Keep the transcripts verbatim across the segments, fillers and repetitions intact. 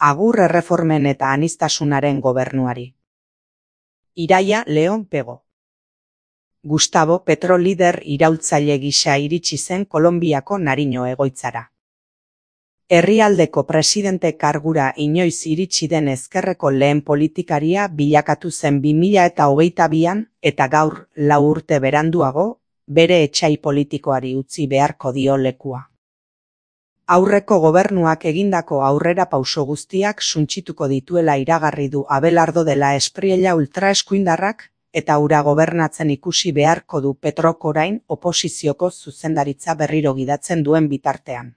Agur erreformen eta aniztasunaren gobernuari. Iraia Leon Pego. Gustavo Petro lider iraultzaile gisa iritsi zen Kolonbiako Nariño egoitzara. Herrialdeko presidente kargura inoiz iritsi den ezkerreko lehen politikaria bilakatu zen bi mila hogeita bian eta gaur, lau urte beranduago, bere etsai politikoari utzi beharko dio lekua. Aurreko gobernuak egindako aurrera pauso guztiak suntsituko dituela iragarri du Abelardo de la Espriella ultraeskuindarrak, eta hura gobernatzen ikusi beharko du Petrok orain oposizioko zuzendaritza berriro gidatzen duen bitartean.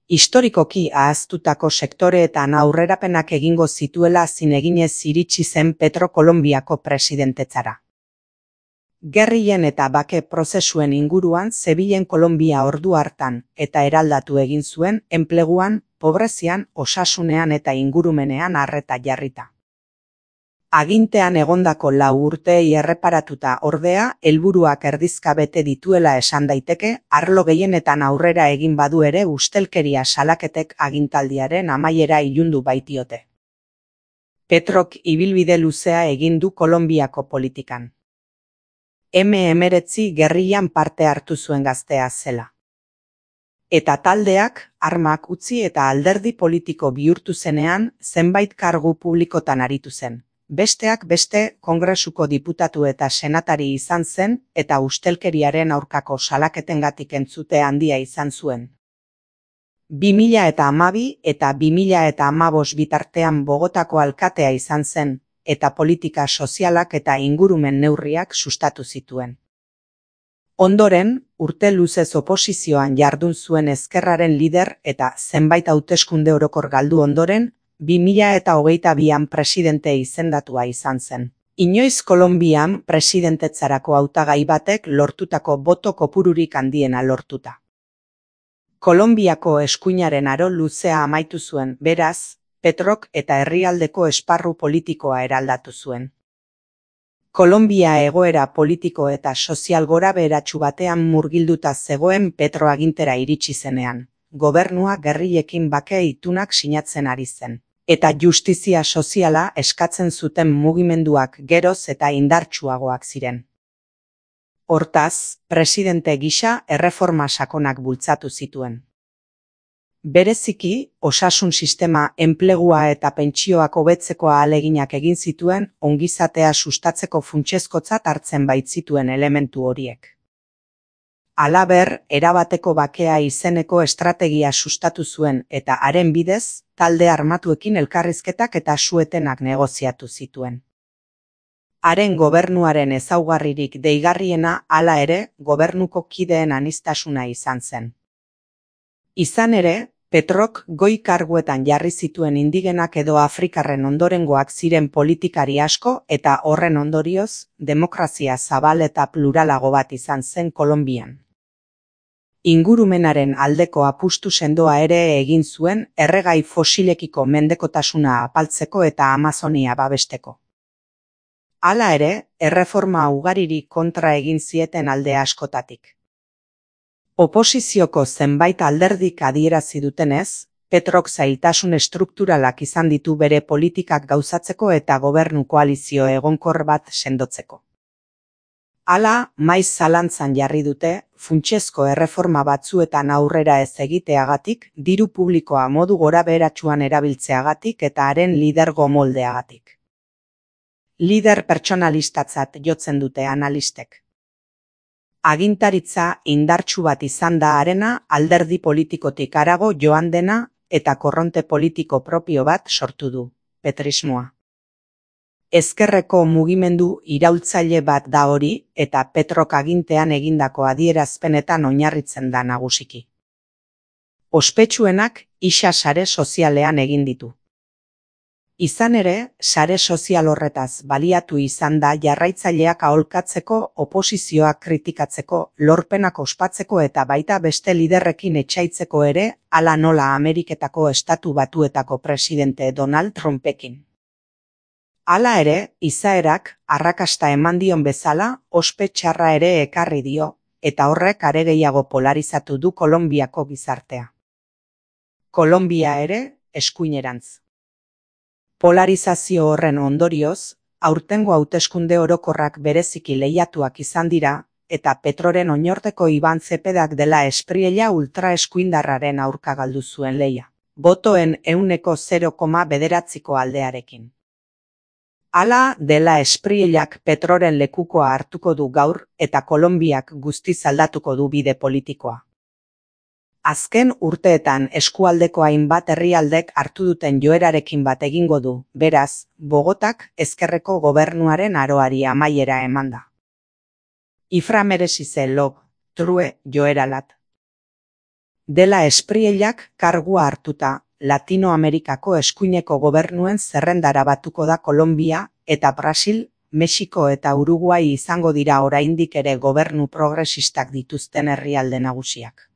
Historikoki ahaztutako sektoreetan aurrerapenak egingo zituela zineginez iritsi zen Petro Kolonbiako presidentetzara. Gerrien eta bake prozesuen inguruan zebilen Kolonbia ordu hartan eta eraldatu egin zuen enpleguan, pobrezian, osasunean eta ingurumenean arreta jarrita. Agintean egondako lau urteei erreparatuta ordea, helburuak erdizka bete dituela esan daiteke, arlo gehienetan aurrera egin badu ere ustelkeria salaketek agintaldiaren amaiera ilundu baitiote. Petrok ibilbide luzea egin du Kolonbiako politikan. eme hemeretzi gerrian parte hartu zuen gaztea zela. Eta taldeak, armak utzi eta alderdi politiko bihurtu zenean, zenbait kargu publikotan aritu zen. Besteak beste, Kongresuko diputatu eta senatari izan zen, eta ustelkeriaren aurkako salaketengatik entzute handia izan zuen. bi mila hamabi eta bi mila hamabost bitartean Bogotako alkatea izan zen, eta politika sozialak eta ingurumen neurriak sustatu zituen. Ondoren, urte luzez oposizioan jardun zuen ezkerraren lider eta zenbait hauteskunde orokor galdu ondoren, bi mila hogeita bian presidente izendatua izan zen. Inoiz Kolonbian presidentetzarako hautagai batek lortutako boto kopururik handiena lortuta. Kolonbiako eskuinaren aro luzea amaitu zuen, beraz, Petrok eta herrialdeko esparru politikoa eraldatu zuen. Kolonbia egoera politiko eta sozial gorabeheratsu batean murgilduta zegoen Petro agintera iritsi zenean, gobernua gerrillekin bake itunak sinatzen ari zen, eta justizia soziala eskatzen zuten mugimenduak geroz eta indartsuagoak ziren. Hortaz, presidente gisa erreforma sakonak bultzatu zituen. Bereziki, osasun sistema, enplegua eta pentsioak hobetzeko ahaleginak egin zituen ongizatea sustatzeko funtsezkotzat hartzen baitzituen elementu horiek. Halaber, erabateko bakea izeneko estrategia sustatu zuen eta haren bidez, talde armatuekin elkarrizketak eta suetenak negoziatu zituen. Haren gobernuaren ezaugarririk deigarriena hala ere, gobernuko kideen aniztasuna izan zen. Izan ere, Petrok goi karguetan jarri zituen indigenak edo afrikarren ondorengoak ziren politikari asko eta horren ondorioz, demokrazia zabal eta pluralago bat izan zen Kolonbian. Ingurumenaren aldeko apustu sendoa ere egin zuen erregai fosilekiko mendekotasuna apaltzeko eta Amazonia babesteko. Hala ere, erreforma ugaririk kontra egin zieten alde askotatik. Oposizioko zenbait alderdik adierazi dutenez, Petrok zailtasun estrukturalak izan ditu bere politikak gauzatzeko eta gobernu koalizio egonkor bat sendotzeko. Hala, maiz zalantzan jarri dute, funtsezko erreforma batzuetan aurrera ez egiteagatik, diru publikoa modu gorabeheratsuan erabiltzeagatik eta haren lidergo moldeagatik. Lider pertsonalistatzat jotzen dute analistek. Agintaritza indartsu bat izan da harena alderdi politikotik harago joan dena eta korronte politiko propio bat sortu du, petrismoa. Ezkerreko mugimendu iraultzaile bat da hori eta Petrok agintean egindako adierazpenetan oinarritzen da nagusiki. Ospetsuenak isa sare sozialean egin ditu. Izan ere, sare sozial horretaz baliatu izan da jarraitzaileak aholkatzeko, oposizioak kritikatzeko, lorpenak ospatzeko eta baita beste liderrekin etsaitzeko ere, hala nola Ameriketako Estatu Batuetako presidente Donald Trumpekin. Hala ere, izaerak, arrakasta eman dion bezala, ospe txarra ere ekarri dio, eta horrek are gehiago polarizatu du Kolonbiako gizartea. Kolonbia ere, eskuinerantz. Polarizazio horren ondorioz, aurtengo hauteskunde orokorrak bereziki lehiatuak izan dira, eta Petroren oinorteko Iban Zepedak dela Espriella ultraeskuindarraren aurka galdu zuen lehia, botoen ehuneko zero koma bederatziko aldearekin. Hala, dela Espriellak Petroren lekukoa hartuko du gaur eta Kolonbiak guztiz aldatuko du bide politikoa. Azken urteetan eskualdeko hainbat herrialdek hartu duten joerarekin bat egingo du, beraz, Bogotak ezkerreko gobernuaren aroari amaiera emanda. Ifra merezi lob, true joeralat. Dela Espriellak kargua hartuta, Latinoamerikako eskuineko gobernuen zerrendara batuko da Kolonbia eta Brasil, Mexiko eta Uruguai izango dira oraindik ere gobernu progresistak dituzten herrialde nagusiak.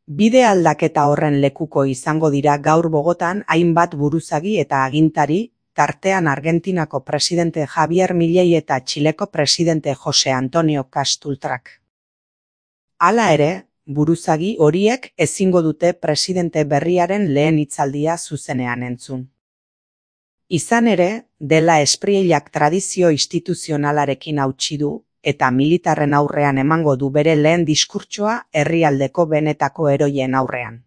Bide aldaketa horren lekuko izango dira gaur Bogotan hainbat buruzagi eta agintari, tartean Argentinako presidente Javier Milei eta Txileko presidente Jose Antonio Castultrak. Hala ere, buruzagi horiek ezingo dute presidente berriaren lehen hitzaldia zuzenean entzun. Izan ere, dela Espriellak tradizio instituzionalarekin hautsi du, eta militarren aurrean emango du bere lehen diskurtsoa herrialdeko benetako heroien aurrean.